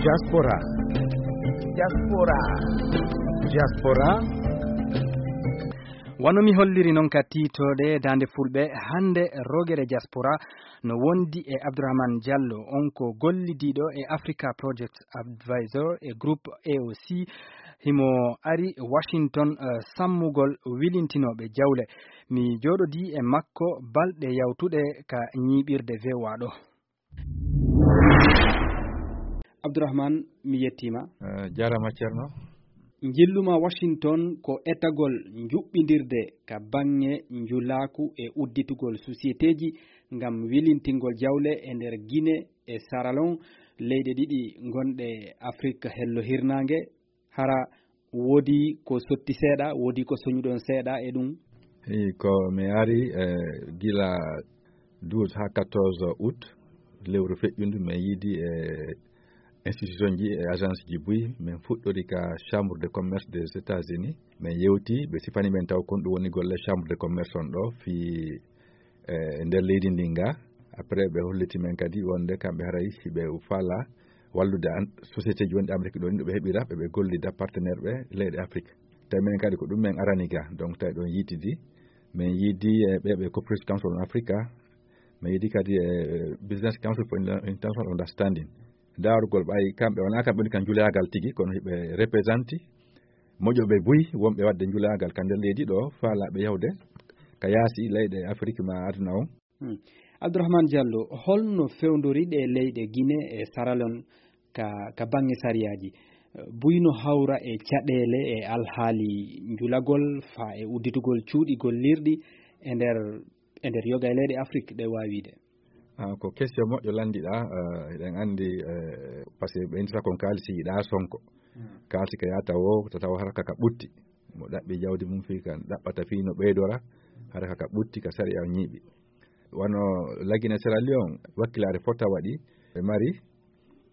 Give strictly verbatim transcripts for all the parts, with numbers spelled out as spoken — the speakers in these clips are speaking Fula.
Diaspora. Diaspora. Diaspora. Wano mi holliri non ka tiitooɗe Daande Fulɓe, hannde rogere diaspora no wondi e Abdourahmane Diallo, on ko gollidiiɗo e Africa Project Advisor e groupe A O C. Himo ari Washington, eh, sammugol wilintinooɓe jawle. Mi jooɗodii e makko balɗe yawtuɗe ka ñiiɓirde V O A ɗo. Abdourahmane, mi yettiima. Eh, jaaraama, Ceerno. Njilluma Washington ko etagol njuɓɓindirde ka baŋŋe njulaaku e udditugol sosiyeteeji ngam wilintingol jawle e nder Gine e Saralon, leyɗe ɗiɗi gonɗe Afrik hello hirnaange. Hara woodi ko sotti seeɗa, woodi ko soñuɗon seeɗa e ɗum? Eyi, ko mi ari, eh, gila douze haa quatorze août, lewru feƴƴundu, min yiidi e institution ji e agence ji buy, min fuɗɗori ka Chambre de Commerce des États-Unis. Min yewti, ɓe sifani min taw kon ɗum woni golle Chambre de Commerce on ɗo fii e nder leydi ndin ga. Après, ɓe holliti men kadi wonde kamɓe haray hiɓe faala wallude an, société ji wonɗi Amérique ɗo ni, no ɓe heɓira, ɓe, ɓe gollida partenaire ɓe leyɗe Afrique. Tawi minen kadi ko ɗum men arani ga. Donc, tawi ɗon yiitidi, men yiidi e ɓe, ɓe Cooperation Council on Africa, men yiidi kadi e Business Council for Inter-, International Understanding. Daarugol ɓay kamɓe wona kamɓe woni kan njulaagal tigi, kono hiɓe représenté moƴƴoɓe buy wonɓe waɗde njulaagal ka nder leydi ɗo, faalaaɓe yahude ka yaasi leyɗe Afrik ma aduna on. Hmm. Abdourahmane Diallo, holno fewndori ɗe leyɗe Gine e Saralon ka, ka baŋŋe sariyaaji? Buy no hawra e caɗeele e alhaali njulagol, faa e udditugol cuuɗi gollirɗi e nder, e nder yoga e leyɗe Afrik ɗe waawiide? Ah, ko question moƴƴo lanndiɗaa, eh, eɗen anndi, eh, par ce que ɓe inndirta kon kaalisi yiɗaa sonko. Hmm. Kaalisi ka yaata wo, to tawa haraka ka ɓutti. Mo ɗaɓɓi jawdi mum fii kan, ɗaɓɓata fii no ɓeydora, haraka ka ɓutti ka sariya o ñiiɓi. Wano Lagine Sierra Leone, wakkilaare fota waɗi, ɓe mari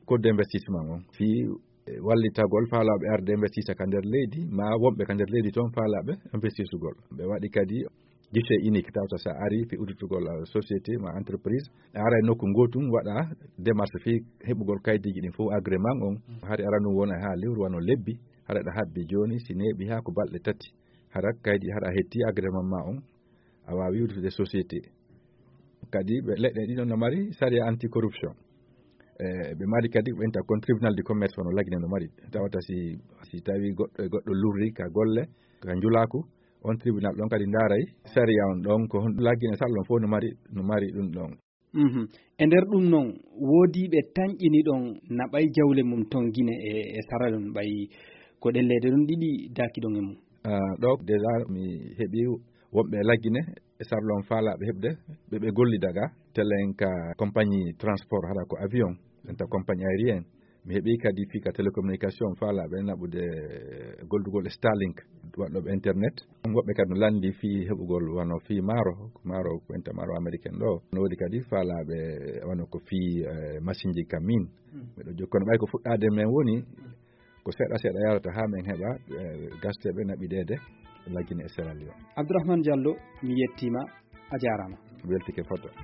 code d'investissement on. Fii, eh, wallitagol faalaaɓe arde investisa ka nder leydi, ma wonɓe ka nder leydi toon faalaaɓe investisugol. Ɓe waɗi kadi guichet unique, tawta sa ari fii udditugol, uh, société ma entreprise, a ara e nokku ngootum, waɗa démarche fii heɓugol kaydiiji ɗin fof, agrément on. Mm. Hari ara ɗum wona haa lewru wano lebbi, hara ɗa habbi jooni, si neeɓi haa ko balɗe tati, hara kaydi, hara a hetti agrément ma on, a waawi uddude société. Kadi ɓe, leɗɗe ɗiɗon no mari sariya anti-corruption. E, ɓe mari kadi ko ɓenta kon tribunal du commerce wano Lagine no mari. Tawata si, si tawi goɗɗo e goɗɗo lurri ka golle, ka njulaaku, on tribunal ɗon kadi ndaaray sariya on ɗon, ko hon Lagine Saralon fof no mari, no mari ɗum ɗon. Mhm. E nder ɗum noon, woodiiɓe tanƴiniɗon naɓay jawle mum ton Gine e, e Saralon, ɓay ko ɗelleede ɗon ɗiɗi daakiɗon e mum? Ah, ɗo déjà mi heɓi wonɓe Lagine e Saralon faalaaɓe heɓde, ɓe, ɓe gollida ga, telen ka compagnie transport, hara ko avion, ɓenta compagnie aérienne. Mi heɓi kadi fii ka télécommunication faalaaɓe naɓude gollugol e Starlink, waɗɗoɓe internet. Woɓɓe kadi no lanndi fii heɓugol wano fii maaro, ko maaro, ko ɓenta maaro américain ɗo. No woodi kadi faalaaɓe wano ko fii, eh, masinji ka min. Hmm. Miɗo jokkono ɓay ko fuɗɗaade men woni, ko seeɗa seeɗa yarata haa men heɓa, eh, gasteeɓe naɓideede Lagine e Sierra Leone. Abdourahmane Diallo, mi yettiima, a jaaraama. Weltike fota.